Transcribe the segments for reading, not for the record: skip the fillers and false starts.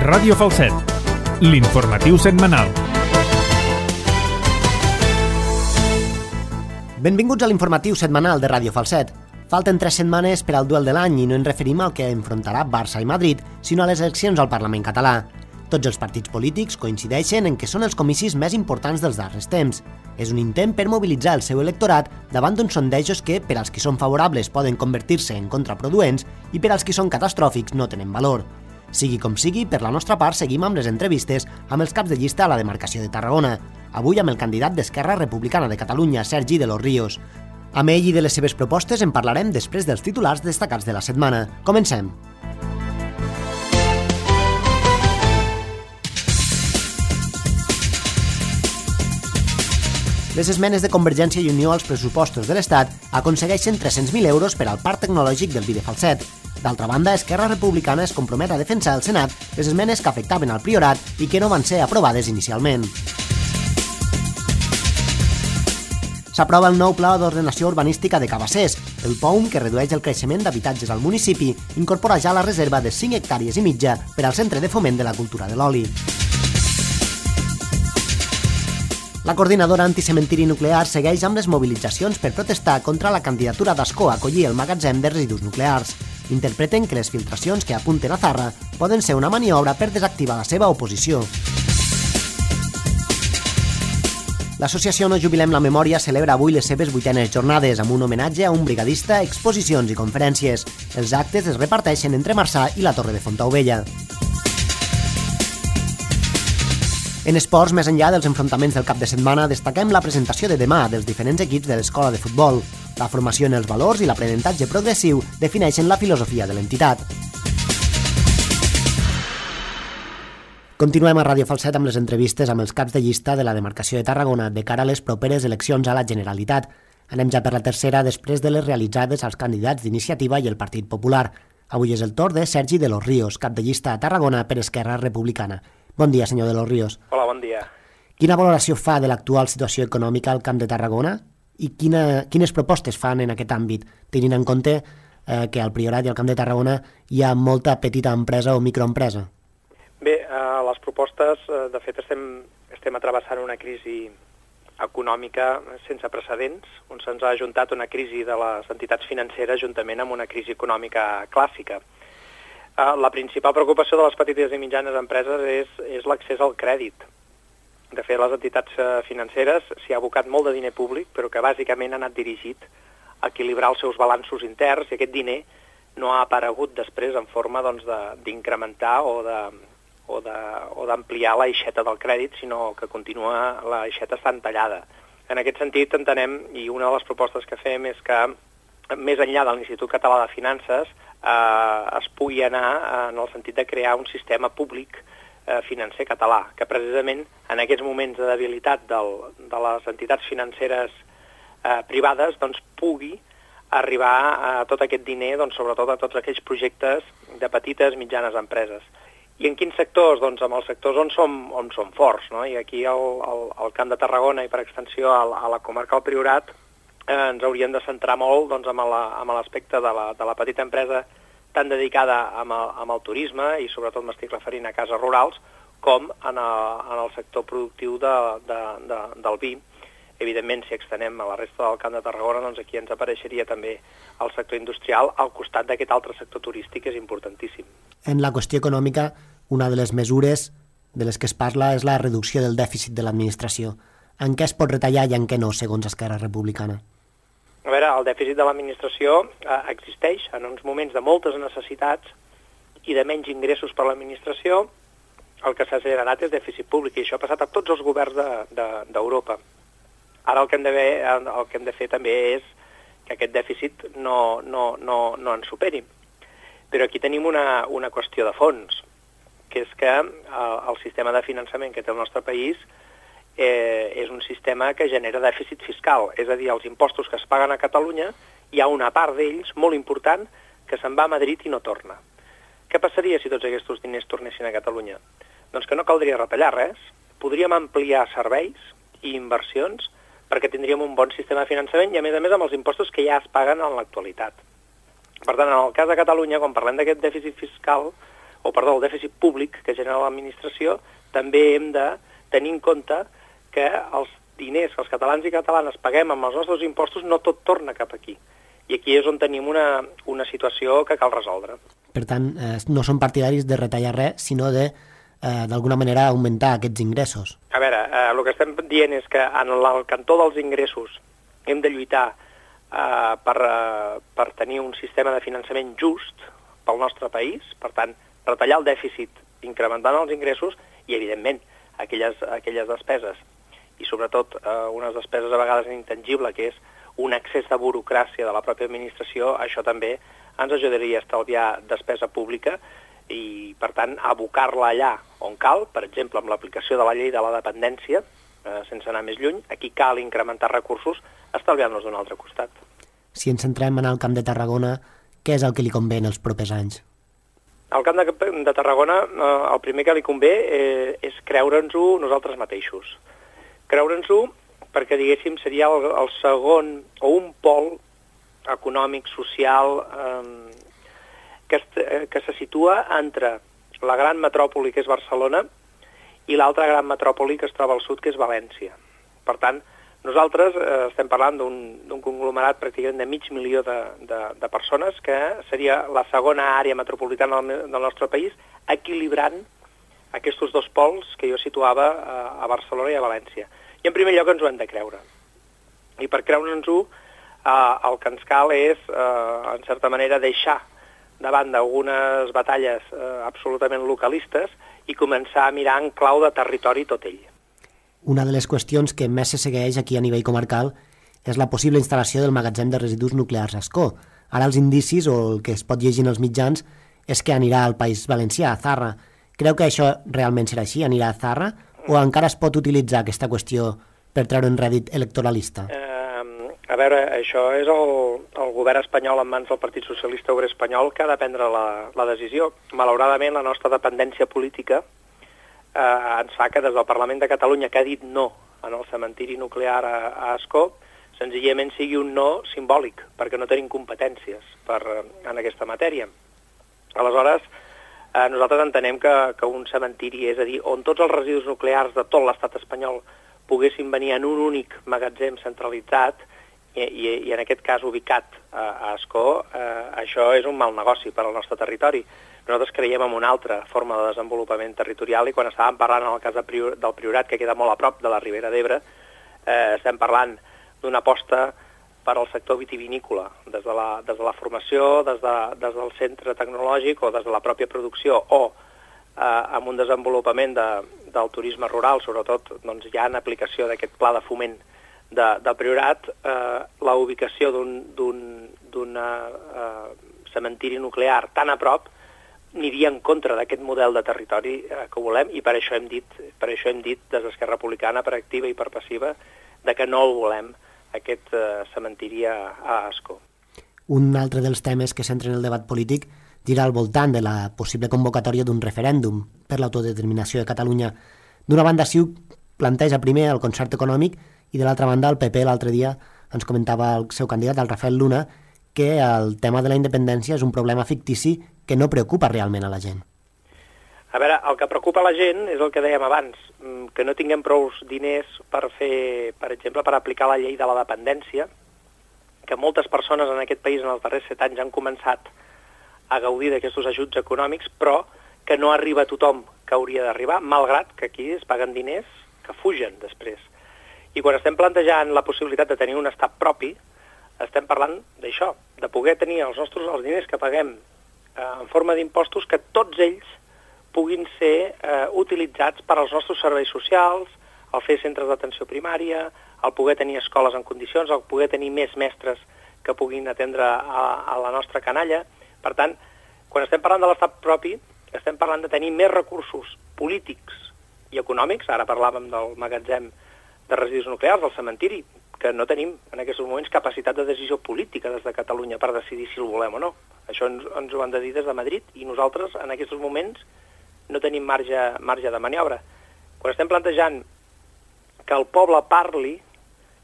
Ràdio Falset, l'informatiu setmanal. Benvinguts a l'informatiu setmanal de Ràdio Falset. Falten 3 setmanes per al duel de l'any i no ens referim al que enfrontarà Barça i Madrid, sinó a les eleccions al Parlament català. Tots els partits polítics coincideixen en que són els comicis més importants dels darrers temps. És un intent per mobilitzar el seu electorat davant d'uns sondejos que, per als qui són favorables, poden convertir-se en contraproduents i per als qui són catastròfics no tenen valor. Sigui com sigui, per la nostra part seguim amb les entrevistes amb els caps de llista a la demarcació de Tarragona. Avui amb el candidat d'Esquerra Republicana de Catalunya, Sergi de los Ríos. Amb ell i de les seves propostes en parlarem després dels titulars destacats de la setmana. Comencem! Les esmenes de Convergència i Unió als pressupostos de l'Estat aconsegueixen 300.000 euros per al Parc Tecnològic del Vi de Falset. D'altra banda, Esquerra Republicana es compromet a defensar al Senat les esmenes que afectaven al Priorat i que no van ser aprovades inicialment. S'aprova el nou Pla d'Ordenació Urbanística de Cabassers. El POUM, que redueix el creixement d'habitatges al municipi, incorpora ja la reserva de 5 hectàrees i mitja per al Centre de Foment de la Cultura de l'Oli. La coordinadora anticementiri nuclear segueix amb les mobilitzacions per protestar contra la candidatura d'Ascó a acollir el magatzem de residus nuclears. Interpreten que les filtracions que apunten a Zarra poden ser una maniobra per desactivar la seva oposició. L'associació No Jubilem la Memòria celebra avui les seves 8enes jornades amb un homenatge a un brigadista, exposicions i conferències. Els actes es reparteixen entre Marçà i la Torre de Fontaubella. En esports, més enllà dels enfrontaments del cap de setmana, destaquem la presentació de demà dels diferents equips de l'escola de futbol. La formació en els valors i l'aprenentatge progressiu defineixen la filosofia de l'entitat. Continuem a Ràdio Falset amb les entrevistes amb els caps de llista de la demarcació de Tarragona de cara a les properes eleccions a la Generalitat. Anem ja per la tercera després de les realitzades als candidats d'Iniciativa i el Partit Popular. Avui és el torn de Sergi de los Ríos, cap de llista a Tarragona per Esquerra Republicana. Bon dia, senyor de los Ríos. Hola, bon dia. Quina valoració fa de l'actual situació econòmica al Camp de Tarragona i quines propostes fan en aquest àmbit, tenint en compte que al Priorat i al Camp de Tarragona hi ha molta petita empresa o microempresa? Bé, les propostes, de fet, estem atrevessant una crisi econòmica sense precedents, on se'ns ha ajuntat una crisi de les entitats financeres juntament amb una crisi econòmica clàssica. La principal preocupació de les petites i mitjanes empreses és l'accés al crèdit. De fet, les entitats financeres s'hi ha abocat molt de diner públic, però que bàsicament ha anat dirigit a equilibrar els seus balanços interns i aquest diner no ha aparegut després en forma d'incrementar o d'ampliar l'aixeta del crèdit, sinó que continua l'aixeta estant tallada. En aquest sentit entenem, i una de les propostes que fem és que més enllà de l'Institut Català de Finances es pugui anar en el sentit de crear un sistema públic financer català, que precisament en aquests moments de debilitat de les entitats financeres privades pugui arribar a tot aquest diner, sobretot a tots aquells projectes de petites i mitjanes empreses. I en quins sectors? Doncs en els sectors on som forts, no? I aquí al Camp de Tarragona i per extensió a la comarca del Priorat ens hauríem de centrar molt amb l'aspecte de la petita empresa tan dedicada amb el turisme i sobretot m'estic referint a cases rurals com en el sector productiu del vi. Evidentment, si extenem a la resta del Camp de Tarragona, doncs aquí ens apareixeria també el sector industrial al costat d'aquest altre sector turístic que és importantíssim. En la qüestió econòmica, una de les mesures de les que es parla és la reducció del dèficit de l'administració. En què es pot retallar i en què no, segons Esquerra Republicana? A veure, el dèficit de l'administració existeix en uns moments de moltes necessitats i de menys ingressos per a l'administració. El que s'ha generat és dèficit públic i això ha passat a tots els governs d'Europa. Ara el que hem de fer també és que aquest dèficit no ens superi. Però aquí tenim una qüestió de fons, que és que el sistema de finançament que té el nostre país és un sistema que genera dèficit fiscal, és a dir, els impostos que es paguen a Catalunya, hi ha una part d'ells molt important que se'n va a Madrid i no torna. Què passaria si tots aquests diners tornessin a Catalunya? Doncs que no caldria retallar res, podríem ampliar serveis i inversions perquè tindríem un bon sistema de finançament i a més amb els impostos que ja es paguen en l'actualitat. Per tant, en el cas de Catalunya, quan parlem d'aquest dèficit fiscal, el dèficit públic que genera l'administració, també hem de tenir en compte que els diners que els catalans i catalanes paguem amb els nostres impostos no tot torna cap aquí. I aquí és on tenim una situació que cal resoldre. Per tant, no són partidaris de retallar res, sinó de, d'alguna manera, augmentar aquests ingressos. A veure, el que estem dient és que en el cantó dels ingressos hem de lluitar per tenir un sistema de finançament just pel nostre país, per tant, retallar el dèficit incrementant els ingressos i, evidentment, aquelles despeses, i sobretot unes despeses a vegades intangibles, que és un excés de burocràcia de la pròpia administració, això també ens ajudaria a estalviar despesa pública i, per tant, abocar-la allà on cal, per exemple, amb l'aplicació de la llei de la dependència, sense anar més lluny, aquí cal incrementar recursos estalviant-los d'un altre costat. Si ens centrem en el Camp de Tarragona, què és el que li convé en els propers anys? Al Camp de Tarragona el primer que li convé és creure'ns-ho nosaltres mateixos. Creure'ns-ho perquè, diguéssim, seria el segon o un pol econòmic, social, que se situa entre la gran metròpoli, que és Barcelona, i l'altra gran metròpoli que es troba al sud, que és València. Per tant, nosaltres estem parlant d'un conglomerat pràcticament de 500.000 de persones, que seria la segona àrea metropolitana del nostre país, equilibrant aquests dos pols que jo situava a Barcelona i a València. I en primer lloc ens ho hem de creure. I per creure'ns-ho el que ens cal és, en certa manera, deixar de banda algunes batalles absolutament localistes i començar a mirar en clau de territori tot ell. Una de les qüestions que més se segueix aquí a nivell comarcal és la possible instal·lació del magatzem de residus nuclears a Ascó. Ara els indicis, o el que es pot llegir en els mitjans, és que anirà al País Valencià, a Zarra. Creu que això realment serà així, anirà a Zarra, o encara es pot utilitzar aquesta qüestió per treure un rèdit electoralista? A veure, això és el govern espanyol en mans del Partit Socialista Obrer Espanyol que ha de prendre la decisió. Malauradament, la nostra dependència política ens fa que des del Parlament de Catalunya, que ha dit no en el cementiri nuclear a Ascó, senzillament sigui un no simbòlic, perquè no tenim competències en aquesta matèria. Aleshores, nosaltres entenem que un cementiri, és a dir, on tots els residus nuclears de tot l'estat espanyol poguessin venir en un únic magatzem centralitzat i en aquest cas ubicat a Ascó, això és un mal negoci per al nostre territori. Nosaltres creiem en una altra forma de desenvolupament territorial i quan estàvem parlant en el cas del Priorat, que queda molt a prop de la Ribera d'Ebre, estem parlant d'una aposta per al sector vitivinícola, des de la formació, des del centre tecnològic o des de la pròpia producció o amb un desenvolupament del turisme rural, sobretot doncs, ja en aplicació d'aquest pla de foment del Priorat, la ubicació d'un cementiri nuclear tan a prop aniria en contra d'aquest model de territori que volem i per això hem dit des d'Esquerra Republicana, per activa i per passiva, de que no el volem, aquest cementiri a Ascó. Un altre dels temes que centren el debat polític gira al voltant de la possible convocatòria d'un referèndum per l'autodeterminació de Catalunya. D'una banda, CiU planteja primer el concert econòmic i de l'altra banda el PP l'altre dia ens comentava el seu candidat, el Rafael Luna, que el tema de la independència és un problema fictici que no preocupa realment a la gent. A veure, el que preocupa la gent és el que dèiem abans, que no tinguem prou diners per fer, per exemple, per aplicar la llei de la dependència, que moltes persones en aquest país en els darrers 7 anys han començat a gaudir d'aquests ajuts econòmics, però que no arriba a tothom que hauria d'arribar, malgrat que aquí es paguen diners que fugen després. I quan estem plantejant la possibilitat de tenir un estat propi, estem parlant d'això, de poder tenir els diners que paguem en forma d'impostos, que tots ells puguin ser utilitzats per als nostres serveis socials, el fer centres d'atenció primària, el poder tenir escoles en condicions, el poder tenir més mestres que puguin atendre a la nostra canalla. Per tant, quan estem parlant de l'estat propi, estem parlant de tenir més recursos polítics i econòmics. Ara parlàvem del magatzem de residus nuclears, del cementiri, que no tenim en aquests moments capacitat de decisió política des de Catalunya per decidir si el volem o no. Això ens ho han de dir des de Madrid i nosaltres en aquests moments no tenim marge de maniobra. Quan estem plantejant que el poble parli,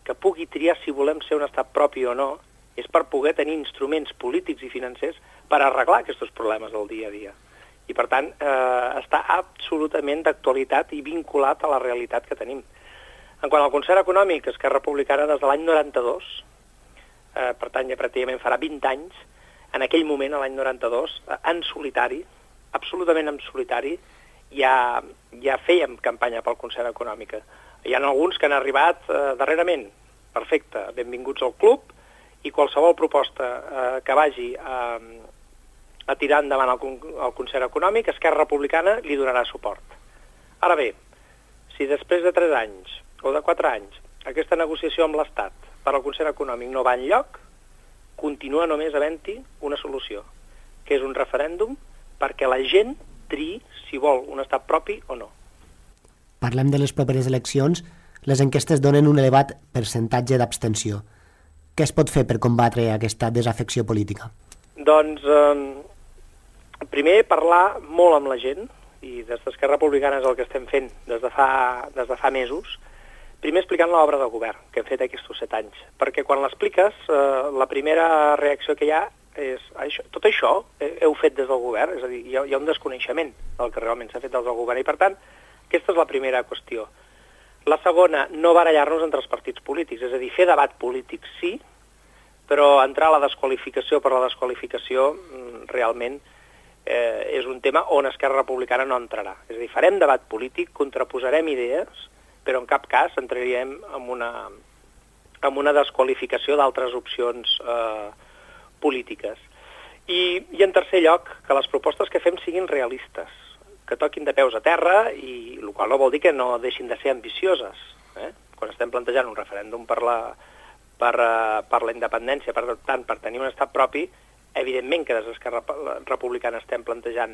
que pugui triar si volem ser un estat propi o no, és per poder tenir instruments polítics i financers per arreglar aquests problemes del dia a dia. I, per tant, està absolutament d'actualitat i vinculat a la realitat que tenim. En quant al concert econòmic, Esquerra Republicana des de l'any 92, per tant, ja pràcticament farà 20 anys, en aquell moment, a l'any 92, en solitari, absolutament en solitari, ja fèiem campanya pel concert econòmic. Hi ha alguns que han arribat darrerament. Perfecte, benvinguts al club, i qualsevol proposta que vagi a tirar endavant el concert econòmic, Esquerra Republicana li donarà suport. Ara bé, si després de 3 anys o de 4 anys aquesta negociació amb l'Estat per al concert econòmic no va enlloc, continua només havent-hi una solució, que és un referèndum perquè la gent triï si vol un estat propi o no. Parlem de les properes eleccions. Les enquestes donen un elevat percentatge d'abstenció. Què es pot fer per combatre aquesta desafecció política? Doncs, primer, parlar molt amb la gent, i des d'Esquerra Republicana és el que estem fent des de fa mesos. Primer explicant l'obra de govern que hem fet aquests 7 anys, perquè quan l'expliques, la primera reacció que hi ha és tot això heu fet des del govern, és a dir, hi ha un desconeixement del que realment s'ha fet des del govern, i per tant, aquesta és la primera qüestió. La segona, no barallar-nos entre els partits polítics, és a dir, fer debat polític sí, però entrar a la desqualificació per la desqualificació realment és un tema on Esquerra Republicana no entrarà. És a dir, farem debat polític, contraposarem idees, però en cap cas entraríem en una desqualificació d'altres opcions polítiques. I en tercer lloc, que les propostes que fem siguin realistes, que toquin de peus a terra, i el qual no vol dir que no deixin de ser ambicioses. Quan estem plantejant un referèndum per la independència, per tant, per tenir un estat propi, evidentment que des d'Esquerra Republicana estem plantejant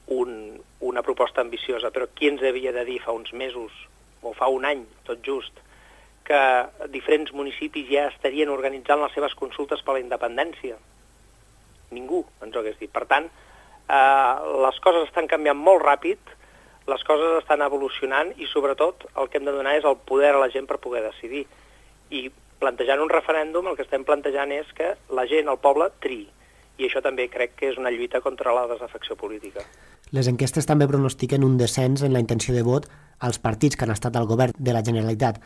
una proposta ambiciosa, però qui ens havia de dir fa uns mesos, o fa un any, tot just, que diferents municipis ja estarien organitzant les seves consultes per la independència? Ningú ens ho hagués dit. Per tant, les coses estan canviant molt ràpid, les coses estan evolucionant, i sobretot el que hem de donar és el poder a la gent per poder decidir. I plantejant un referèndum, el que estem plantejant és que la gent, el poble, triï. I això també crec que és una lluita contra la desafecció política. Les enquestes també pronostiquen un descens en la intenció de vot als partits que han estat al govern de la Generalitat.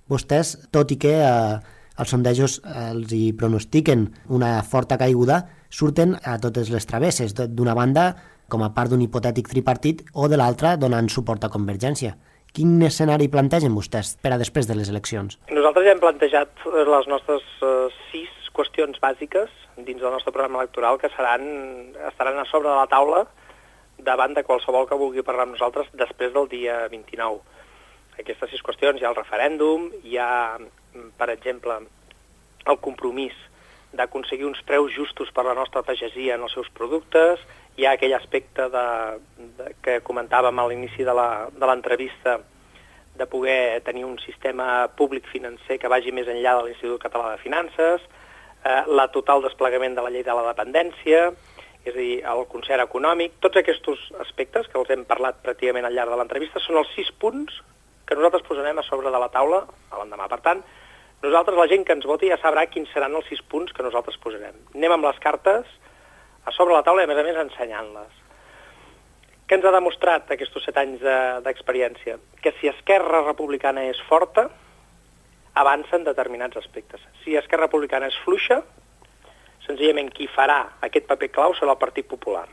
Vostès, tot i que els sondejos els hi pronostiquen una forta caiguda, surten a totes les travesses, d'una banda com a part d'un hipotètic tripartit o de l'altra donant suport a Convergència. Quin escenari plantegen vostès per a després de les eleccions? Nosaltres ja hem plantejat les nostres 6 qüestions bàsiques dins del nostre programa electoral que estaran a sobre de la taula davant de qualsevol que vulgui parlar amb nosaltres després del dia 29. Aquestes 6 qüestions, hi ha el referèndum, hi ha, per exemple, el compromís d'aconseguir uns preus justos per la nostra pagesia en els seus productes, hi ha aquell aspecte que comentàvem a l'inici de l'entrevista de poder tenir un sistema públic financer que vagi més enllà de l'Institut Català de Finances, la total desplegament de la llei de la dependència, és a dir, el concert econòmic. Tots aquests aspectes que els hem parlat pràcticament al llarg de l'entrevista són els 6 punts que nosaltres posarem a sobre de la taula a l'endemà. Per tant, nosaltres, la gent que ens voti, ja sabrà quins seran els 6 punts que nosaltres posarem. Anem amb les cartes a sobre la taula i, a més, ensenyant-les. Què ens ha demostrat aquests 7 anys d'experiència? Que si Esquerra Republicana és forta, avança en determinats aspectes. Si Esquerra Republicana és fluixa, senzillament qui farà aquest paper clau serà el Partit Popular.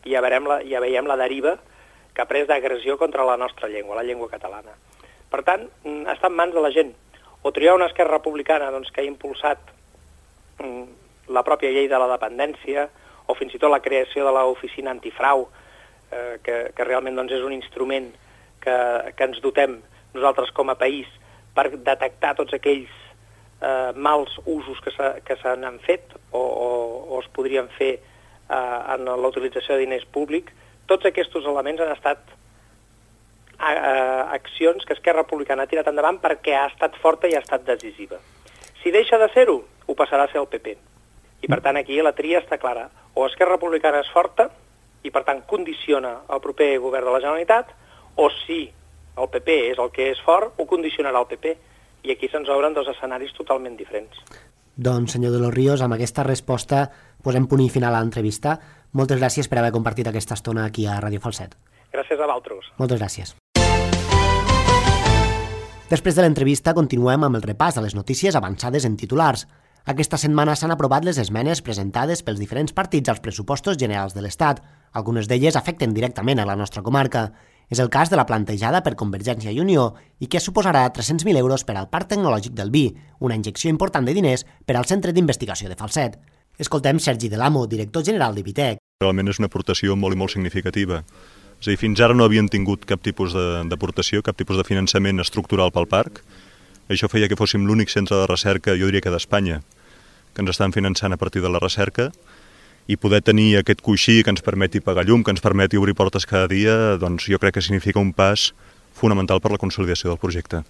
I ja veiem la deriva que ha pres d'agressió contra la nostra llengua, la llengua catalana. Per tant, està en mans de la gent. O triar una Esquerra Republicana que ha impulsat la pròpia llei de la dependència, o fins i tot la creació de l'oficina antifrau, que realment és un instrument que ens dotem nosaltres com a país per detectar tots aquells mals usos que se n'han fet o es podrien fer en la utilització de diners públics. Tots aquests elements han estat accions que Esquerra Republicana ha tirat endavant perquè ha estat forta i ha estat decisiva. Si deixa de ser-ho, ho passarà a ser el PP. I per tant aquí la tria està clara. O Esquerra Republicana és forta i per tant condiciona el proper govern de la Generalitat, o si el PP és el que és fort, ho condicionarà el PP. I aquí se'ns obren 2 escenaris totalment diferents. Doncs, senyor de los Ríos, amb aquesta resposta posem punt i final a l'entrevista. Moltes gràcies per haver compartit aquesta estona aquí a Ràdio Falset. Gràcies a vosaltres. Moltes gràcies. Després de l'entrevista continuem amb el repàs de les notícies avançades en titulars. Aquesta setmana s'han aprovat les esmenes presentades pels diferents partits als pressupostos generals de l'Estat. Algunes d'elles afecten directament a la nostra comarca. És el cas de la plantejada per Convergència i Unió i que suposarà 300.000 euros per al Parc Tecnològic del Vi, una injecció important de diners per al Centre d'Investigació de Falset. Escoltem Sergi Delamo, director general d'Ibitec. Realment és una aportació molt i molt significativa. És a dir, fins ara no havien tingut cap tipus d'aportació, cap tipus de finançament estructural pel parc. Això feia que fóssim l'únic centre de recerca, jo diria que d'Espanya, que ens estan finançant a partir de la recerca, i poder tenir aquest coixí que ens permeti pagar llum, que ens permeti obrir portes cada dia, doncs jo crec que significa un pas fonamental per la consolidació del projecte.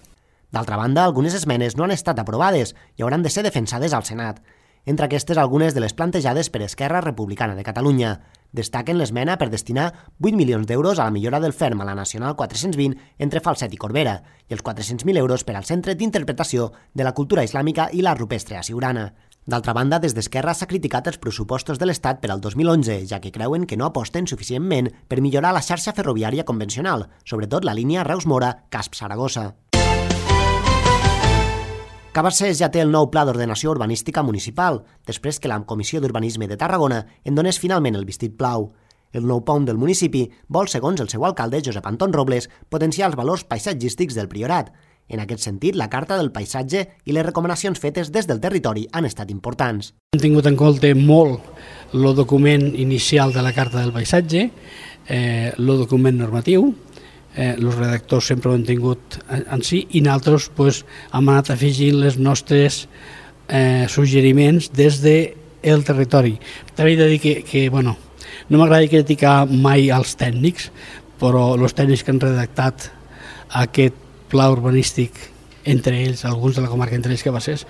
D'altra banda, algunes esmenes no han estat aprovades i hauran de ser defensades al Senat. Entre aquestes, algunes de les plantejades per Esquerra Republicana de Catalunya. Destaquen l'esmena per destinar 8 milions d'euros a la millora del ferm a la Nacional 420 entre Falset i Corbera i els 400.000 euros per al Centre d'Interpretació de la Cultura Islàmica i l'Art Rupestre a Siurana. D'altra banda, des d'Esquerra s'ha criticat els pressupostos de l'Estat per al 2011, ja que creuen que no aposten suficientment per millorar la xarxa ferroviària convencional, sobretot la línia Reus-Mora-Casp-Saragossa. Cabassers ja té el nou Pla d'Ordenació Urbanística Municipal, després que la Comissió d'Urbanisme de Tarragona en donés finalment el vistit blau. El nou POM del municipi vol, segons el seu alcalde, Josep Anton Robles, potenciar els valors paisatgístics del Priorat. En aquest sentit, la Carta del Paisatge i les recomanacions fetes des del territori han estat importants. Hem tingut en compte molt el document inicial de la Carta del Paisatge, el document normatiu, els redactors sempre ho han tingut en si i nosaltres hem anat afegint les nostres suggeriments des del territori. També he de dir que no m'agrada criticar mai els tècnics, però els tècnics que han redactat aquest pla urbanístic, entre ells, alguns de la comarca, entre ells Cabassers,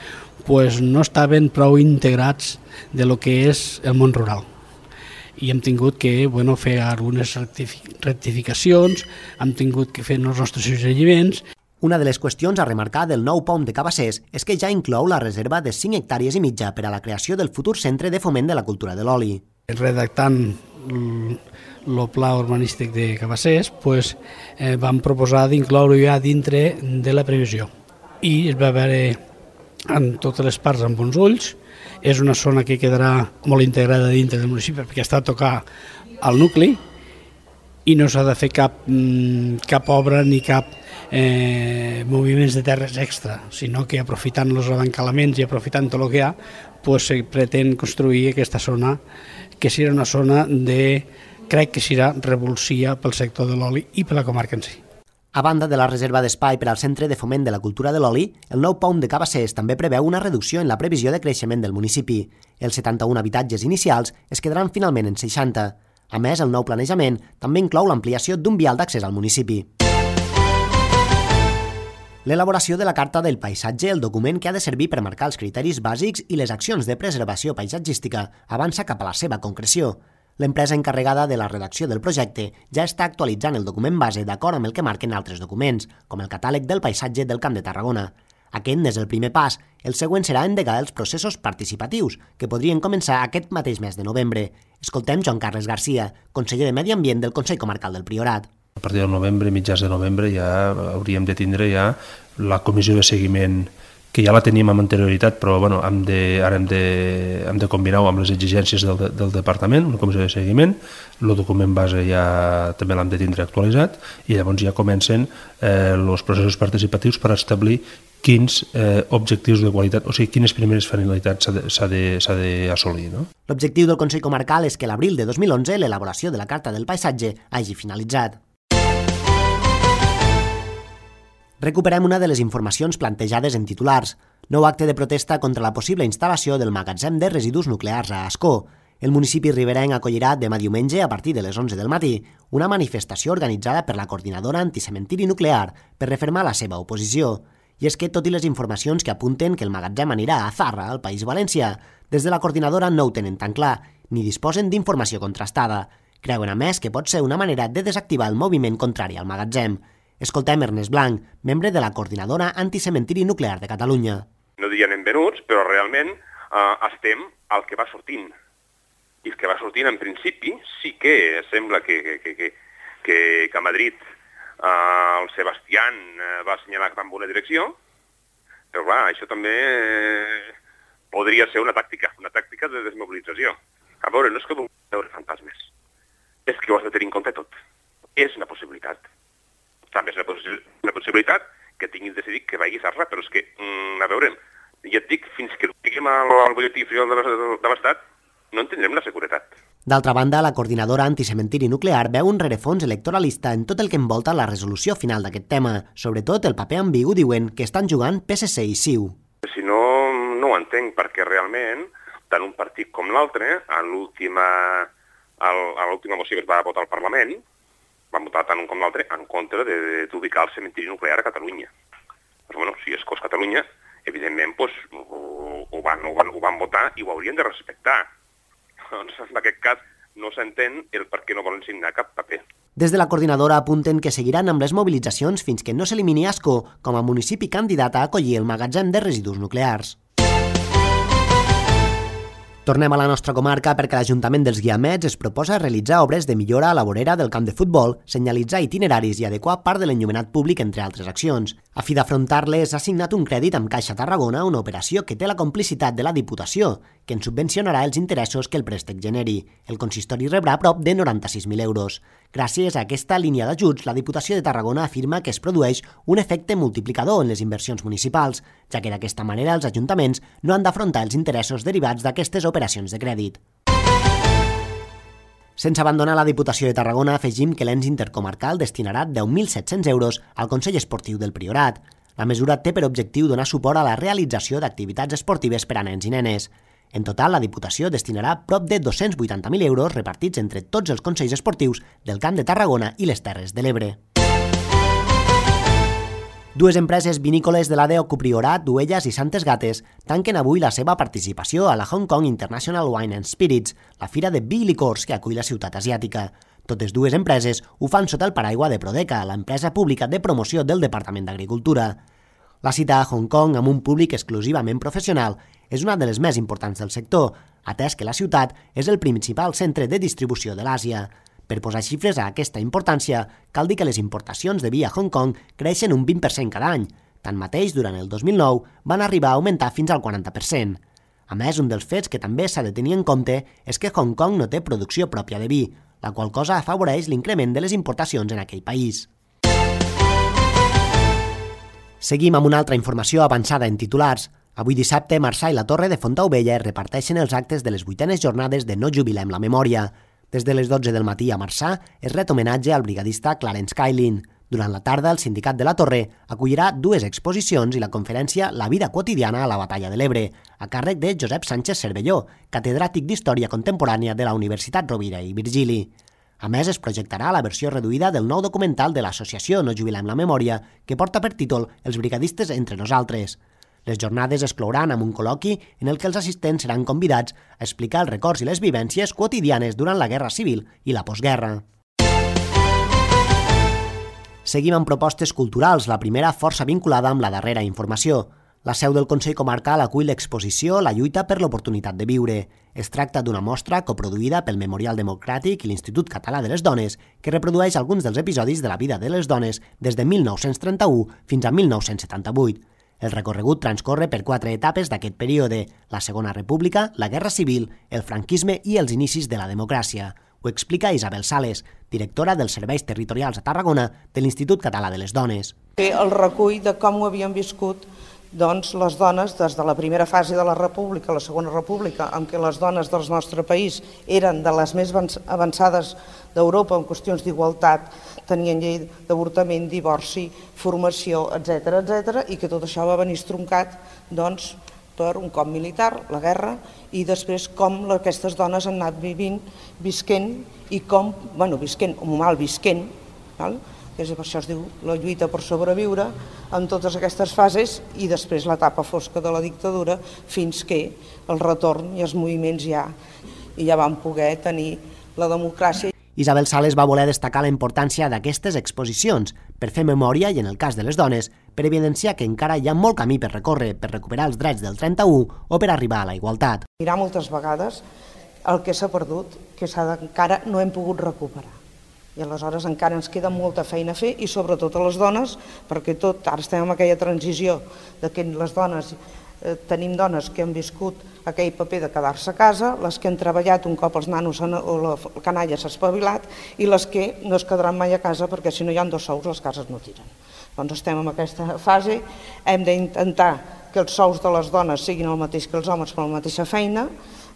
no estaven prou integrats de lo que és el món rural. I hem tingut que fer algunes rectificacions, hem tingut que fer els nostres suggeriments. Una de les qüestions a remarcar del nou POM de Cabassers és que ja inclou la reserva de 5 hectàrees i mitja per a la creació del futur Centre de Foment de la Cultura de l'Oli. Redactant el pla urbanístic de Cabassers, vam proposar d'incloure-ho ja dintre de la previsió. I es va veure en totes les parts amb bons ulls. És una zona que quedarà molt integrada dintre del municipi perquè està a tocar al nucli i no s'ha de fer cap obra ni cap moviments de terres extra, sinó que aprofitant els abancalaments i aprofitant tot el que hi ha, se pretén construir aquesta zona que serà una zona crec que serà revulsiva pel sector de l'oli i per la comarca en si. A banda de la reserva d'espai per al Centre de Foment de la Cultura de l'Oli, el nou POM de Cabassers també preveu una reducció en la previsió de creixement del municipi. Els 71 habitatges inicials es quedaran finalment en 60. A més, el nou planejament també inclou l'ampliació d'un vial d'accés al municipi. L'elaboració de la Carta del Paisatge, el document que ha de servir per marcar els criteris bàsics i les accions de preservació paisatgística, avança cap a la seva concreció. L'empresa encarregada de la redacció del projecte ja està actualitzant el document base d'acord amb el que marquen altres documents, com el catàleg del paisatge del Camp de Tarragona. Aquest n'és el primer pas. El següent serà endegar els processos participatius, que podrien començar aquest mateix mes de novembre. Escoltem Joan Carles Garcia, conseller de Medi Ambient del Consell Comarcal del Priorat. A partir del novembre, mitjans de novembre, ja hauríem de tindre ja la comissió de seguiment, que ja la teníem amb anterioritat, però ara hem de combinar-ho amb les exigències del departament, una comissió de seguiment, el document base ja també l'hem de tindre actualitzat i llavors ja comencen els processos participatius per establir quins objectius de qualitat, o sigui, quines primeres finalitats s'ha d'assolir. No? L'objectiu del Consell Comarcal és que l'abril de 2011 l'elaboració de la Carta del Paisatge hagi finalitzat. Recuperem una de les informacions plantejades en titulars. Nou acte de protesta contra la possible instal·lació del magatzem de residus nuclears a Ascó. El municipi riberenc acollirà demà diumenge, a partir de les 11 del matí, una manifestació organitzada per la Coordinadora Anticementiri Nuclear per refermar la seva oposició. I és que, tot i les informacions que apunten que el magatzem anirà a Zarra, al País Valencià, des de la Coordinadora no ho tenen tan clar, ni disposen d'informació contrastada. Creuen, a més, que pot ser una manera de desactivar el moviment contrari al magatzem. Escoltem Ernest Blanc, membre de la Coordinadora Anticementiri Nuclear de Catalunya. No dirien en venuts, però realment estem al que va sortint. I el que que va sortint, en principi, sí que sembla que a Madrid el Sebastián va assenyalar que va en bona direcció, però clar, això també podria ser una tàctica de desmobilització. A veure, no és que vulguem veure fantasmes, és que ho has de tenir en compte tot. És una possibilitat. També és una possibilitat que tinguis decidit que vagis a res, però és que, a veure, ja et dic, fins que no tinguem al butlletí oficial de l'Estat, no en tindrem la seguretat. D'altra banda, la coordinadora anticementiri nuclear veu un rerefons electoralista en tot el que envolta la resolució final d'aquest tema, sobretot el paper ambigu, diuen, que estan jugant PSC i CiU. Si no, no ho entenc, perquè realment, tant un partit com l'altre, a l'última moció que es va votar al Parlament, van votar tant un com l'altre en contra d'ubicar el cementiri nuclear a Catalunya. Però, bueno, si és cos Catalunya, evidentment, ho van votar i ho haurien de respectar. Doncs, en aquest cas, no s'entén el per què no volen signar cap paper. Des de la coordinadora apunten que seguiran amb les mobilitzacions fins que no s'elimini Ascó com a municipi candidat a acollir el magatzem de residus nuclears. Tornem a la nostra comarca perquè l'Ajuntament dels Guiamets es proposa realitzar obres de millora a la vorera del camp de futbol, senyalitzar itineraris i adequar part de l'enllumenat públic, entre altres accions. A fi d'afrontar-les, ha signat un crèdit amb Caixa Tarragona, una operació que té la complicitat de la Diputació, que en subvencionarà els interessos que el préstec generi. El consistori rebrà prop de 96.000 euros. Gràcies a aquesta línia d'ajuts, la Diputació de Tarragona afirma que es produeix un efecte multiplicador en les inversions municipals, ja que d'aquesta manera els ajuntaments no han d'afrontar els interessos derivats d'aquestes operacions de crèdit. Sense abandonar la Diputació de Tarragona, afegim que l'ens intercomarcal destinarà 10.700 euros al Consell Esportiu del Priorat. La mesura té per objectiu donar suport a la realització d'activitats esportives per a nens i nenes. En total, la Diputació destinarà prop de 280.000 euros repartits entre tots els consells esportius del Camp de Tarragona i les Terres de l'Ebre. Dues empreses vinícoles de l'ADO Priorat, Duelles i Santes Gates tanquen avui la seva participació a la Hong Kong International Wine and Spirits, la fira de vi i licors que acull la ciutat asiàtica. Totes dues empreses ho fan sota el paraigua de Prodeca, l'empresa pública de promoció del Departament d'Agricultura. La cita a Hong Kong amb un públic exclusivament professional és una de les més importants del sector, atès que la ciutat és el principal centre de distribució de l'Àsia. Per posar xifres a aquesta importància, cal dir que les importacions de vi a Hong Kong creixen un 20% cada any. Tanmateix, durant el 2009 van arribar a augmentar fins al 40%. A més, un dels fets que també s'ha de tenir en compte és que Hong Kong no té producció pròpia de vi, la qual cosa afavoreix l'increment de les importacions en aquell país. Seguim amb una altra informació avançada en titulars. Avui dissabte, Marçà i la Torre de Fontaubella reparteixen els actes de les 8enes jornades de No jubilem la memòria. Des de les 12 del matí a Marçà es ret homenatge al brigadista Clarence Cailin. Durant la tarda, el Sindicat de la Torre acollirà dues exposicions i la conferència La vida quotidiana a la Batalla de l'Ebre, a càrrec de Josep Sánchez Cervelló, catedràtic d'Història Contemporània de la Universitat Rovira i Virgili. A més, es projectarà la versió reduïda del nou documental de l'associació No jubilem la memòria, que porta per títol Els brigadistes entre nosaltres. Les jornades es clouran amb un col·loqui en el que els assistents seran convidats a explicar els records i les vivències quotidianes durant la Guerra Civil i la postguerra. Seguim amb propostes culturals, la primera força vinculada amb la darrera informació. La seu del Consell Comarcal acull l'exposició La lluita per l'oportunitat de viure. Es tracta d'una mostra coproduïda pel Memorial Democràtic i l'Institut Català de les Dones, que reprodueix alguns dels episodis de la vida de les dones des de 1931 fins a 1978. El recorregut transcorre per 4 etapes d'aquest període: la Segona República, la Guerra Civil, el franquisme i els inicis de la democràcia. Ho explica Isabel Sales, directora dels Serveis Territorials a Tarragona de l'Institut Català de les Dones. El recull de com ho havien viscut les dones des de la primera fase de la República a la Segona República, en què les dones del nostre país eren de les més avançades d'Europa en qüestions d'igualtat, tenien llei d'avortament, divorci, formació, etc., i que tot això va venir estroncat per un cop militar, la guerra, i després com aquestes dones han anat visquent i com, visquent o mal visquent, que per això es diu la lluita per sobreviure, en totes aquestes fases, i després l'etapa fosca de la dictadura, fins que el retorn i els moviments ja van poder tenir la democràcia. Isabel Sales va voler destacar la importància d'aquestes exposicions per fer memòria i, en el cas de les dones, per evidenciar que encara hi ha molt camí per recórrer per recuperar els drets del 31 o per arribar a la igualtat. Mirar moltes vegades el que s'ha perdut, que encara no hem pogut recuperar. I aleshores encara ens queda molta feina a fer, i sobretot a les dones, perquè ara estem en aquella transició de que les dones, tenim dones que han viscut aquell paper de quedar-se a casa, les que han treballat un cop els nanos o la canalla s'ha espavilat, i les que no es quedaran mai a casa perquè si no hi ha 2 sous les cases no tiren. Doncs estem en aquesta fase, hem d'intentar que els sous de les dones siguin el mateix que els homes per la mateixa feina,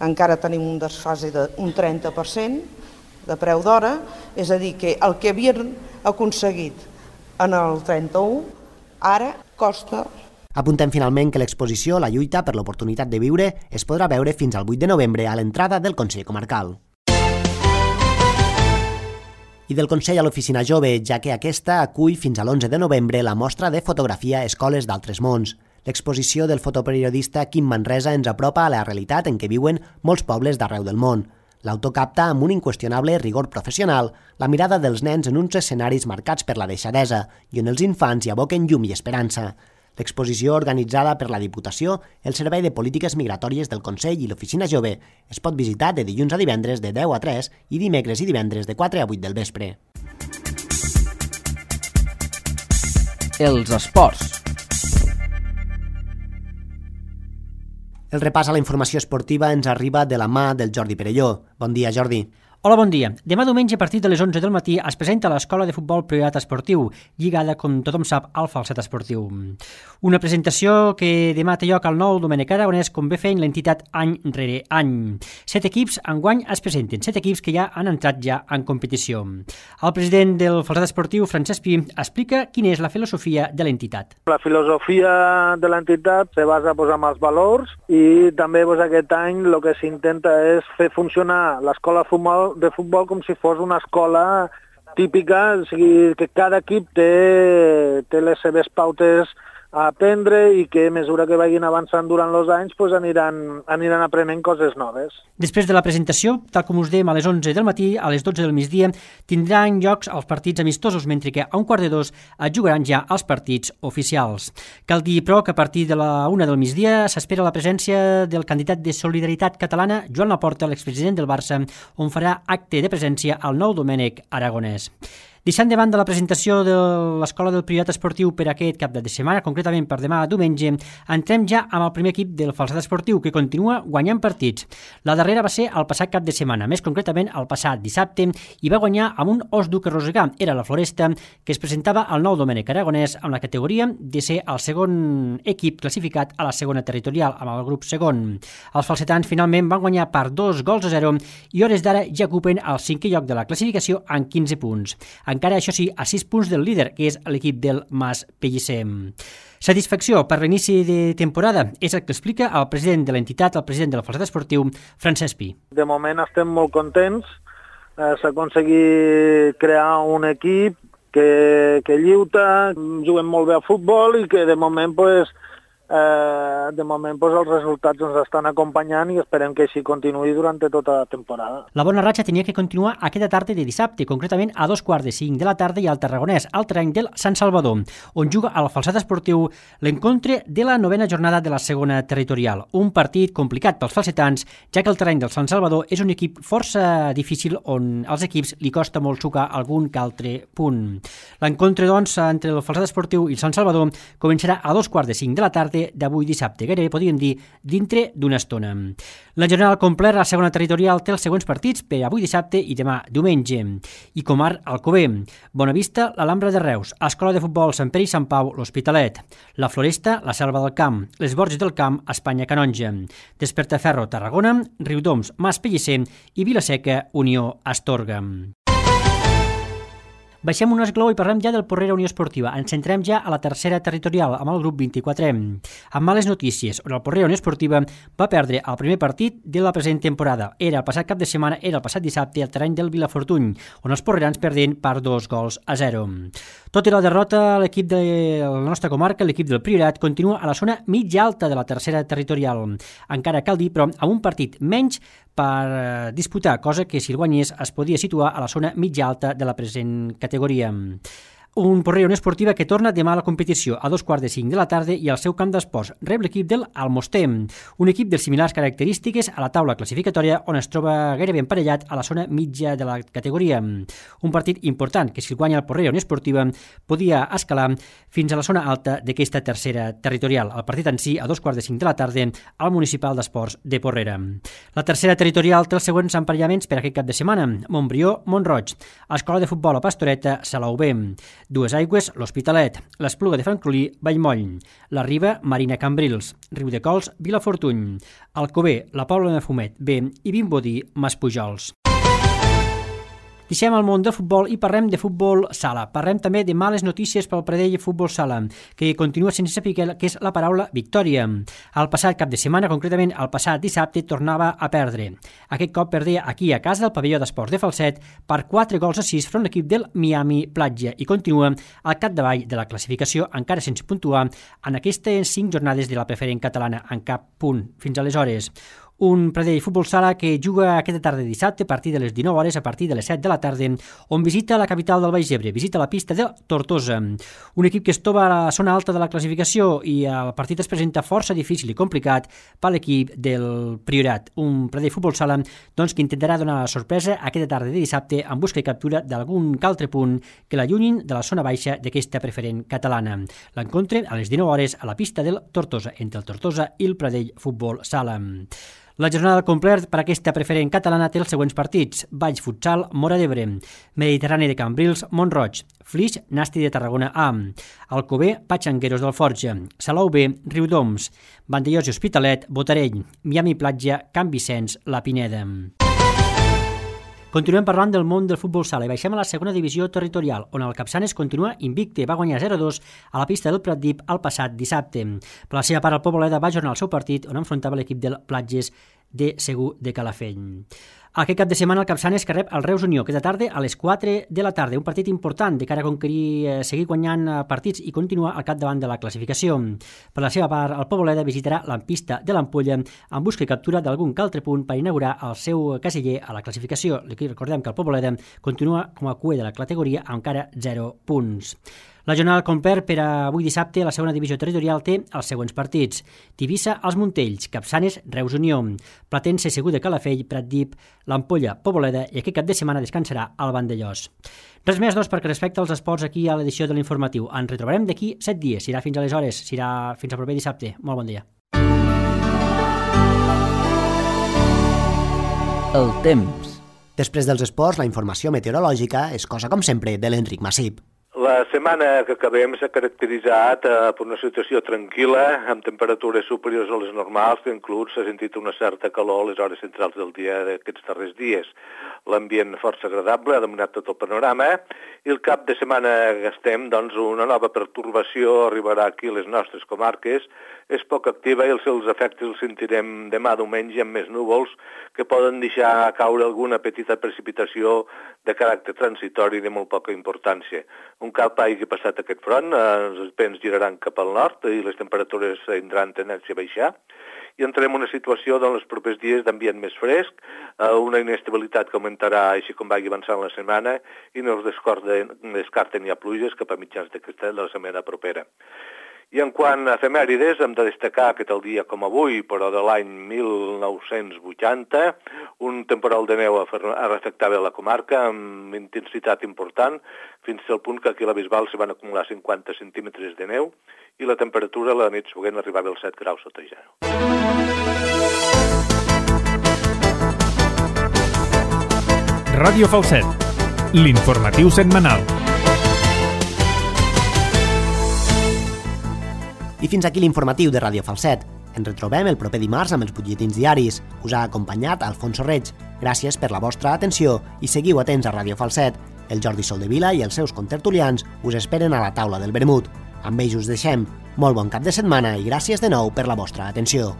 encara tenim un desfase d'un 30%, de preu d'hora, és a dir, que el que havien aconseguit en el 31 ara costa. Apuntem finalment que l'exposició La lluita per l'oportunitat de viure es podrà veure fins al 8 de novembre a l'entrada del Consell Comarcal. I del Consell a l'Oficina Jove, ja que aquesta acull fins a l'11 de novembre la mostra de fotografia Escoles d'altres mons. L'exposició del fotoperiodista Quim Manresa ens apropa a la realitat en què viuen molts pobles d'arreu del món. L'autor capta amb un inqüestionable rigor professional la mirada dels nens en uns escenaris marcats per la deixadesa i on els infants hi aboquen llum i esperança. L'exposició, organitzada per la Diputació, el Servei de Polítiques Migratòries del Consell i l'Oficina Jove, es pot visitar de dilluns a divendres de 10 a 3 i dimecres i divendres de 4 a 8 del vespre. Els esports. El repàs a la informació esportiva ens arriba de la mà del Jordi Perelló. Bon dia, Jordi. Hola, bon dia. Demà diumenge, a partir de les 11 del matí, es presenta l'Escola de Futbol Priorat Esportiu, lligada, com tothom sap, al Falset Esportiu. Una presentació que demà té lloc al nou Domènec Aragonès, com ve fent l'entitat any rere any. 7 equips enguany es presenten, 7 equips que ja han entrat ja en competició. El president del Falset Esportiu, Francesc Pi, explica quina és la filosofia de l'entitat. La filosofia de l'entitat se basa en els valors i també aquest any el que s'intenta és fer funcionar l'escola de futbol com si fos una escola típica, o sigui, que cada equip té les seves pautes a aprendre i que a mesura que vagin avançant durant els anys aniran aprenent coses noves. Després de la presentació, tal com us dèiem, a les 11 del matí, a les 12 del migdia, tindran llocs els partits amistosos, mentre que a 1:15 es jugaran ja els partits oficials. Cal dir, però, que a partir de la 1 del migdia s'espera la presència del candidat de Solidaritat Catalana, Joan Laporta, l'expresident del Barça, on farà acte de presència al nou Domènec Aragonès. Deixant de banda la presentació de l'Escola del Priorat Esportiu per aquest cap de setmana, concretament per demà diumenge, entrem ja amb el primer equip del Falset Esportiu, que continua guanyant partits. La darrera va ser el passat cap de setmana, més concretament el passat dissabte, i va guanyar amb un os dur que rosegar. Era la Floresta, que es presentava al nou Domènec Aragonès amb la categoria de ser el segon equip classificat a la segona territorial, amb el grup segon. Els falsetans finalment van guanyar per 2-0 i hores d'ara ja ocupen el 5è lloc de la classificació amb 15 punts. Encara, això sí, a 6 punts del líder, que és l'equip del Mas Pellicer. Satisfacció per l'inici de temporada és el que explica el president de l'entitat, el president del Falset Esportiu, Francesc Pi. De moment estem molt contents. S'ha aconseguit crear un equip que lluita, juguem molt bé a futbol i que de moment els resultats ens estan acompanyant i esperem que així continuï durant tota la temporada. La bona ratxa tenia que continuar aquesta tarda de dissabte, concretament a 2:45 de la tarda i al Tarragonès, al terreny del Sant Salvador, on juga al Falset Esportiu l'encontre de la 9a jornada de la segona territorial. Un partit complicat pels falsetans, ja que el terreny del Sant Salvador és un equip força difícil on als equips li costa molt sucar algun que altre punt. L'encontre, doncs, entre el Falset Esportiu i el Sant Salvador començarà a 2:45 de la tarda d'avui dissabte, gairebé podríem dir dintre d'una estona. La jornada al complet, la segona territorial, té els següents partits per avui dissabte i demà diumenge. I Comar, Alcover, Bonavista, l'Alhambra de Reus, Escola de Futbol Sant Pere i Sant Pau, l'Hospitalet, la Floresta, la Selva del Camp, les Borges del Camp, Espanya Canonja, Despertaferro, Tarragona, Riudoms, Mas Pellicer i Vilaseca, Unió Astorga. Baixem un esglaó i parlem ja del Porrera Unió Esportiva. Ens centrem ja a la tercera territorial, amb el grup 24. Amb males notícies, on el Porrera Unió Esportiva va perdre el primer partit de la present temporada. Era el passat cap de setmana, era el passat dissabte, al terreny del Vilafortuny, on els porrerans perdent per 2-0. Tot i la derrota, l'equip de la nostra comarca, l'equip del Priorat, continua a la zona mitja alta de la tercera territorial. Encara cal dir, però, amb un partit menys per disputar, cosa que si el guanyés es podia situar a la zona mitja alta de la present categoria. Un Porrera Unió Esportiva que torna demà a la competició a 2:45 de la tarda i al seu camp d'esports rep l'equip del Almoster, un equip de similars característiques a la taula classificatòria on es troba gairebé emparellat a la zona mitja de la categoria. Un partit important que si el guanya el Porrera Unió Esportiva podia escalar fins a la zona alta d'aquesta tercera territorial. El partit en si a 2:45 de la tarda al Municipal d'Esports de Porrera. La tercera territorial té els següents emparellaments per aquest cap de setmana: Montbrió, Mont-roig, Escola de Futbol a Pastoreta, Salou B, Dues Aigües, l'Hospitalet, l'Espluga de Francolí, Vallmoll, la Riba, Marina Cambrils, Riudecols, Vilafortuny, Alcover, la Pobla de Fumet B i Vimbodí, Maspujols. Deixem el món del futbol i parlem de futbol sala. Parlem també de males notícies pel Pradell Futbol Sala, que continua sense saber què és la paraula victòria. El passat cap de setmana, concretament el passat dissabte, tornava a perdre. Aquest cop perdia aquí a casa del pavelló d'esports de Falset per 4-6 front l'equip del Miami Platja i continua al capdavall de la classificació encara sense puntuar en aquestes 5 jornades de la preferent catalana en cap punt fins aleshores. Un Pradell Futbol Sala que juga aquesta tarda dissabte a partir de les 19 hores a partir de les 7 de la tarda, on visita la capital del Baix Ebre, visita la pista de Tortosa. Un equip que es troba a la zona alta de la classificació i el partit es presenta força difícil i complicat per l'equip del Priorat. Un Pradell Futbol Sala doncs, que intentarà donar la sorpresa aquesta tarda de dissabte en busca i captura d'algun altre punt que l'allunyin de la zona baixa d'aquesta preferent catalana. L'encontre a les 19 hores a la pista del Tortosa, entre el Tortosa i el Pradell Futbol Sala. La jornada al complet per aquesta preferent catalana té els següents partits: Valls Futsal, Móra d'Ebre, Mediterrani de Cambrils, Mont-roig, Flix, Nasti de Tarragona A, Alcover, Patxangueros del Forja, Salou B, Riudoms, Vandellós i Hospitalet, Botarell, Miami Platja, Can Vicenç, La Pineda. Continuem parlant del món del futbol sala i baixem a la segona divisió territorial, on el Capçanes continua invicte, va guanyar 0-2 a la pista del Pratdip el passat dissabte. Per la seva part, el Poboleda va ajornar el seu partit on enfrontava l'equip del Platges de Segur de Calafell. Aquest cap de setmana el Capçanes que rep el Reus Unió aquesta tarda a les 4 de la tarda, un partit important de cara a conquerir, seguir guanyant partits i continuar al capdavant de la classificació. Per la seva part, el Poboleda visitarà la pista de l'Ampolla en busca i captura d'algun altre punt per inaugurar el seu casiller a la classificació. Recordem que el Poboleda continua com a cuer de la categoria amb encara 0 punts. La jornada al complet per avui dissabte a la segona divisió territorial té els següents partits: Tivissa, Els Montells, Capçanes, Reus Unió, Platense, Segur de Calafell, Pratdip, l'Ampolla, Poboleda i aquest cap de setmana descansarà el Vandellós. Res més, doncs, perquè respecte als esports aquí a l'edició de l'informatiu. Ens retrobarem d'aquí 7 dies. Serà fins aleshores, serà fins al proper dissabte. Molt bon dia. El temps. Després dels esports, la informació meteorològica és cosa com sempre de l'Enric Massip. La setmana que acabem s'ha caracteritzat per una situació tranquil·la, amb temperatures superiors a les normals, que inclús s'ha sentit una certa calor a les hores centrals del dia d'aquests darrers dies. L'ambient força agradable ha dominat tot el panorama i el cap de setmana que estem, doncs, una nova pertorbació arribarà aquí a les nostres comarques. És poc activa i els seus efectes els sentirem demà diumenge amb més núvols que poden deixar caure alguna petita precipitació de caràcter transitori de molt poca importància. Un cop hagi passat aquest front, els vents giraran cap al nord i les temperatures tindran tendència a baixar i entrem en una situació en els propers dies d'ambient més fresc, una inestabilitat que augmentarà així com vagi avançant la setmana i no es descarten ja pluges cap a mitjans de la setmana propera. I en quant a efemèrides, hem de destacar que tal dia com avui, però de l'any 1980, un temporal de neu afectava la comarca amb intensitat important, fins al punt que aquí a la Bisbal s'hi van acumular 50 centímetres de neu i la temperatura a la nit següent arribava als 7 graus sota zero. Ràdio Falset, l'informatiu setmanal. I fins aquí l'informatiu de Ràdio Falset. Ens retrobem el proper dimarts amb els butlletins diaris. Us ha acompanyat Alfonso Reig. Gràcies per la vostra atenció i seguiu atents a Ràdio Falset. El Jordi Soldevila i els seus contertulians us esperen a la taula del vermut. Amb ells us deixem. Molt bon cap de setmana i gràcies de nou per la vostra atenció.